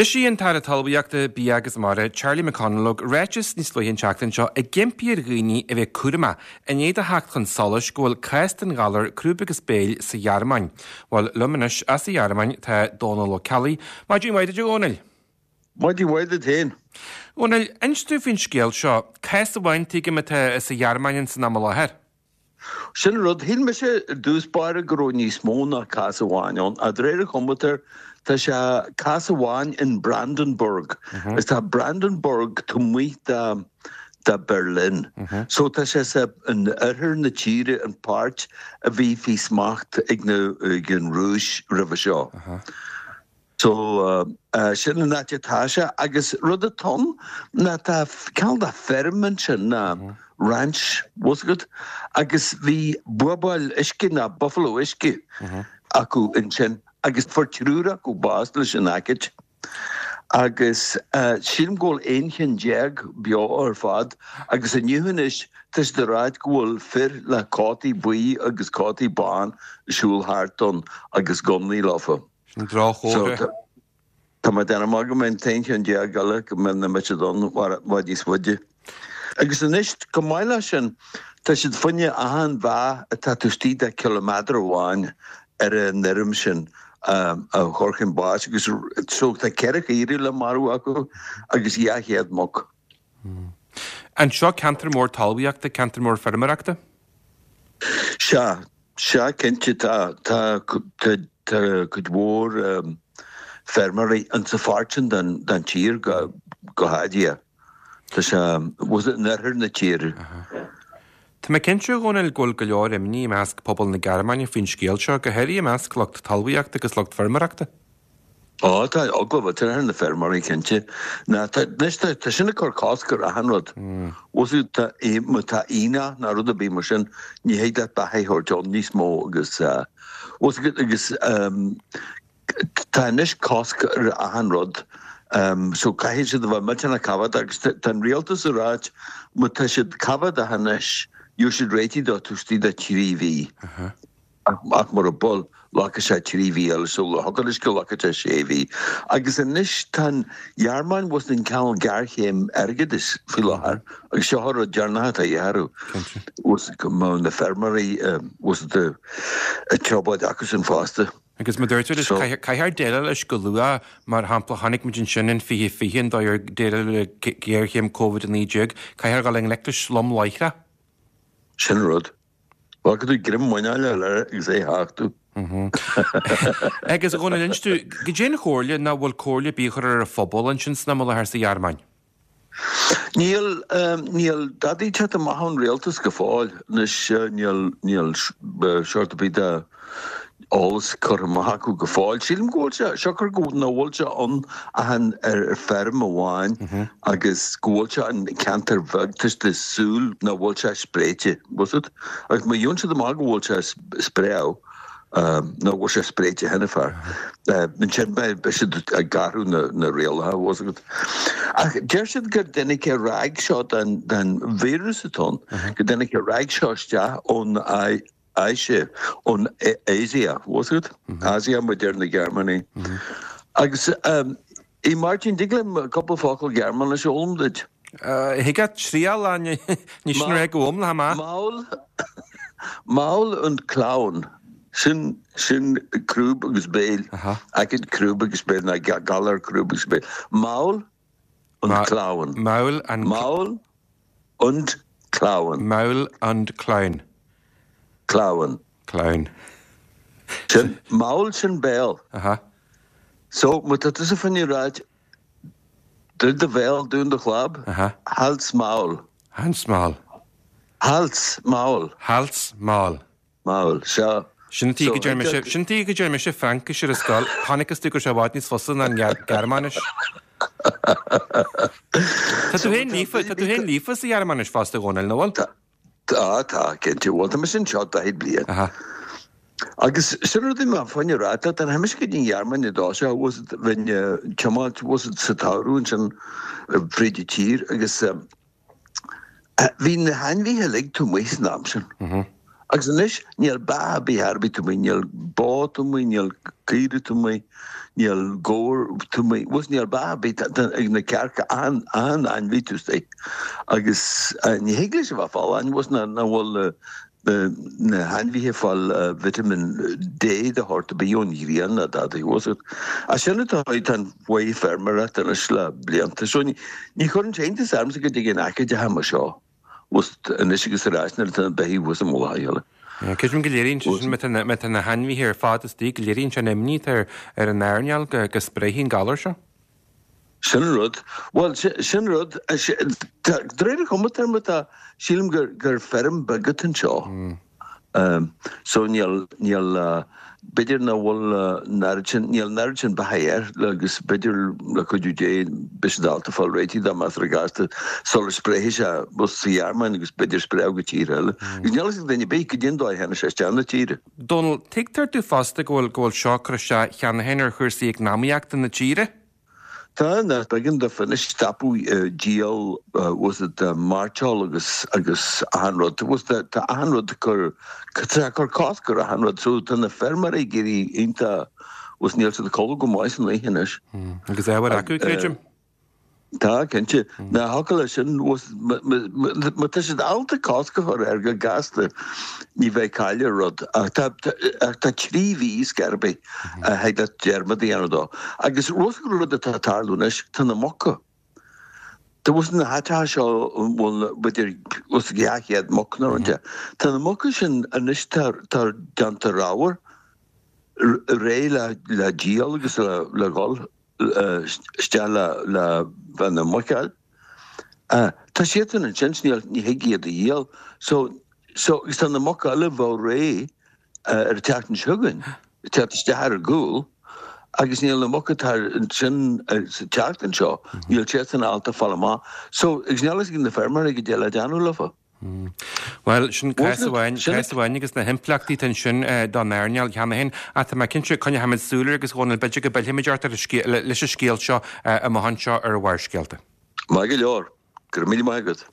D'eisigh an tAire Talmhaíochta, Bia agus Mara, Charlie McConalogue, ráiteas níos luaithe an tseachtain seo ag impí ar dhaoine a bheith cúramach i ndiaidh do theacht chun solais go bhfuil cás den ghalar crúb agus béil sa Ghearmáin. Bhuel, liom anois as an Ghearmáin tá Dónal Ó Ceallaigh. Maidin mhaith duit, a Dhónaill. Maidin mhaith duit féin. A Dhónaill, inis dúinn faoin scéal seo. Cás amháin, tuigim, atá sa Ghearmáin ins an am i láthair. Sin an rud. Shíl mise i dtús báire go raibh níos mó ná cás amháin ann. Ach de réir an chomputer, tá sé cás amháin in Brandenburg. Agus tá Brandenburg taobh amuigh de de Berlin. So tá sé sa in oirthear na tíre, an páirt a bhí faoi smacht ag na ag an Rúis roimhe seo. So, sin an áit atá sé. Agus rud atá ann ná tá cineál de feirm ansin, ná ranch, bhfuil 's agat, agus bhí buabhall uisce ná buffalo uisce acu ansin agus fuair triúr acu bás leis an aicíd. Agus sílim go bhfuil 11 cheann beo ar fad agus inniu anois tá siad ag ráit go bhfuil fir le cótaí buí agus cótaí bán ag siúl thart ann agus gunnaí leofa. Sin droch-chomhartha. Tá mé ag déanamh amach go mbeidh an t-aon cheann eile go mbeidh na mbeidh siad ann i bhfad níos faide. Agus anois, chomh maith leis sin, tá siad fá choinne achan bheach atá taobh istigh de chiliméadar amháin ar an fheirm sin a chur chun báis agus so tá 4 chaoire le marú acu agus 200 muc. An seo ceantar mór talmhaíochta, ceantar mór feirmeoireachta? Sea, sea cinnte tá, tá, tá cuid mhór feirmeoirí insa pháirt sin den, den tír go, go háirithe. Tá sé, bhuel in oirthear na tíre. Tá mé cinnte, a Dhónaill, go bhfuil go leor imní i measc pobal na Gearmáine faoin scéal seo, go háirithe i measc lucht talmhaíochta agus lucht feirmeoireachta. Ó, tá eagla mhillteanach ar na feirmeoirí, cinnte. Ná, tá, anois tá, tá sin ag cur cosc ar achan rud. Bhfuil 's agat, tá, má tá aonach ná rud ar bith mar sin, ní thig leat beatha a thabhairt ann níos mó agus, bhfuil 's agat, agus tá anois cosc ar achan rud. So caithfidh siad a bheith millteanach coimhéadach agus tá, tá an rialtas ag ráit má tá siad coimhéadach anois, gheobhaidh siad réitithe dó taobh istigh de thrí mhí. Ach mura bhfuil, glacfaidh sé 3 mhí eile sula thiocfaidh leis go nglacfaidh sé 6 mhí. Agus anois tá an Ghearmáin bhfuil 's agat in cineál géarchéim airgeadais faoi láthair agus seo an rud deireanach atá de dhíth orthu. Bhfuil 's agat go mbeadh na feirmeoirí bhfuil 's agat i dtrioblóid acusan fosta. Agus mar dúirt tú leis, caithfear déileáil leis go luath, mar shampla chonaic muid ansin in 2020 an dóigh ar déileáladh le géarchéim Covid-19, caithfear dul i ngleic leis lom láithreach. Sin an rud. Glacfaidh tú greim muineáil eile air agus é a thachtadh. Agus a Dhónaill, inis dúinn, goidé an chomhairle, nó bhfuil comhairle ar bith á chur ar an phobal ansin san am i láthair sa Ghearmáin? Níl, níl dadaí ag teacht amach ón rialtas go fóill. Anois níl, níl seort ar bith de eolas curtha amach acu go fóill. Sílim go bhfuil sé, siocair go nach bhfuil sé ann ach an ar feirm amháin agus go bhfuil sé in ceantar bheag, tá siad ag súil nach bhfuil sé spréite, bhfuil 's agat? Agus má gheobhann siad amach go bhfuil sé spréadh, nó go bhfuil sé spréite cheana féin, ansin beidh siad ag athrú na rialacha, bhfuil 's agat? Ach deir siad gur dtáinig an ráig seo den víreas atá ann, go dtáinig an ráig seo isteach ón Áise, ón Asia, bhfuil 's agat? Asia mar a deir na Gearmánaigh. Agus, a Mháirtín, dtig liom cúpla focal Gearmáinis a fhoghlaim duit? Thig leat triail, ní sin rá go iomlán maith. Maul, Maul und Klauen, sin, sin crúb agus béil, aicíd crúb agus béil, ná galar crúb agus béil. Maul und Klauen. Maul and. Maul und Klauen. Maul und Klauen. Klauen. Klauen. Sin, Maul sin béal. Aha. So, má tá tusa fá choinne ráit, druid do bhéal, dún do chlab, Aha. Halt's Maul. Hans Maul. Halt's Maul. Halt's Maul. Maul, sea. Sin an tuige go ndeir mise, sin an tuige go ndeir mise Fraincis ar an scoil, chonacthas domh go raibh sé i bhfad níos fusa ná an Ghearmáinis. Tá tú féin líofa, tá tú féin líofa sa Ghearmáinis fosta, a Dhónaill, nó bhfuil? Tá, tá, tá, cinnte. Bhuel, tá mise anseo 40 bliain. Aha. Agus sin rud a bhí mé fá choinne rá leat, nuair a tháinig mise go dtí an Ghearmáin i dtosach, bhfuil 's agat, bheinn ag tiomáint, bhfuil 's agat, sa tsamhradh ansin fríd an tír agus, Bhí na hainmhithe uilig taobh amuigh san am sin. Agus anois níl beatha ar bith ar bith taobh amuigh, níl bó taobh amuigh, níl caoire taobh amuigh, níl gabhar taobh amuigh, bhfuil níl beatha ar bith ag na cearca achan achan ainmhí taobh istigh. Agus ní thig leis a bheith folláin, bhfuil ná ná bhfuil na na na hainmhithe ag fáil vitamin D de shórt ar bith ón ghrian ná dadaí bhfuil fhios agat. Ach sin atá tá an mhodh feirmeoireachta anois le blianta. So ní ní chuireann sé iontas ormsa go dtig in aice de mar seo. Bhfuil anois agus ar ais nuair atá na beithígh thuas i mullach a chéile. Creidim go léiríonn sé sin, má tá na hainmhithe ar fad istigh, go léiríonn sé an imní atá ar an earnáil go spréifidh an galar seo. Sin an rud. Bhuel, sin an rud. De réir an chuma tá, sílim gur feirm beag atá anseo. So níl, níl, b'fhéidir nach bhfuil an oiread sin, níl an oiread sin beatha air agus b'fhéidir le cuidiú Dé beidh siad ábalta fáil réitithe dá measartha gasta sula spréifidh sé bus sa Ghearmáin agus b'fhéidir spréadh go tíortha eile. Agus níl a fhios ag duine ar bith goidé an dóigh a tháinig sé isteach na tíre. Dónal, tuigtear domh fosta go bhfuil, go bhfuil seo ag cur isteach cheana féin ar chúrsaí eacnamaíochta na tíre. Tá, nach b'éigean daofa anois stopadh díol bhfuil fhios agat mairteoil agus agus achan rud. Bhfuil fhios agat tá achan rud ag cur tá sé ag cur cosc ar achan rud so tá na feirmeoirí ag éirí iontach bhfuil fhios níl siad ag codladh go maith san oíche anois. Agus ábhar acu, creidim. Tá, cinnte. Ná thiocfadh leis sin, má tá siad ábalta cosc a chur air go gasta, ní bheidh caill ar rud. Ach tá 3 mhí scor ar bith a thig leat dearmad a dhéanamh dó. Agus rud atá ag tarlú anois, tá na muca. Tá bhfuil fhios na háiteacha seo an bhfuil b'fhéidir os 200 muc nó rud de. Tá na muca sin anois tá déanta ramhar, réidh le díol agus le dhul. isteach le bheith ina muiceoil. Tá siadsan ansin, níl, ní thig iad a dhíol. So, so, agus tá na muca eile a bheadh réidh ar an tseachtain seo chugainn, ag teacht isteach ar a gcúl, agus níl na muca atá ansin sa tseachtain seo, níl siadsan ábalta fáil amach. So, agus níl a fhios ag na feirmeoirí goidé le déanamh leofa. Bhuel, sin cás amháin, cás amháin agus na himpleachtaí atá ansin don earnáil cheana féin. Ach tá mé cinnte, coinneochaimid súil air agus a Dhónaill, b'fhéidir go bpillfimid ort ar an scéal, leis an scéal seo amach anseo ar Bharrscéalta. Maith go leor. Go raibh míle maith agat.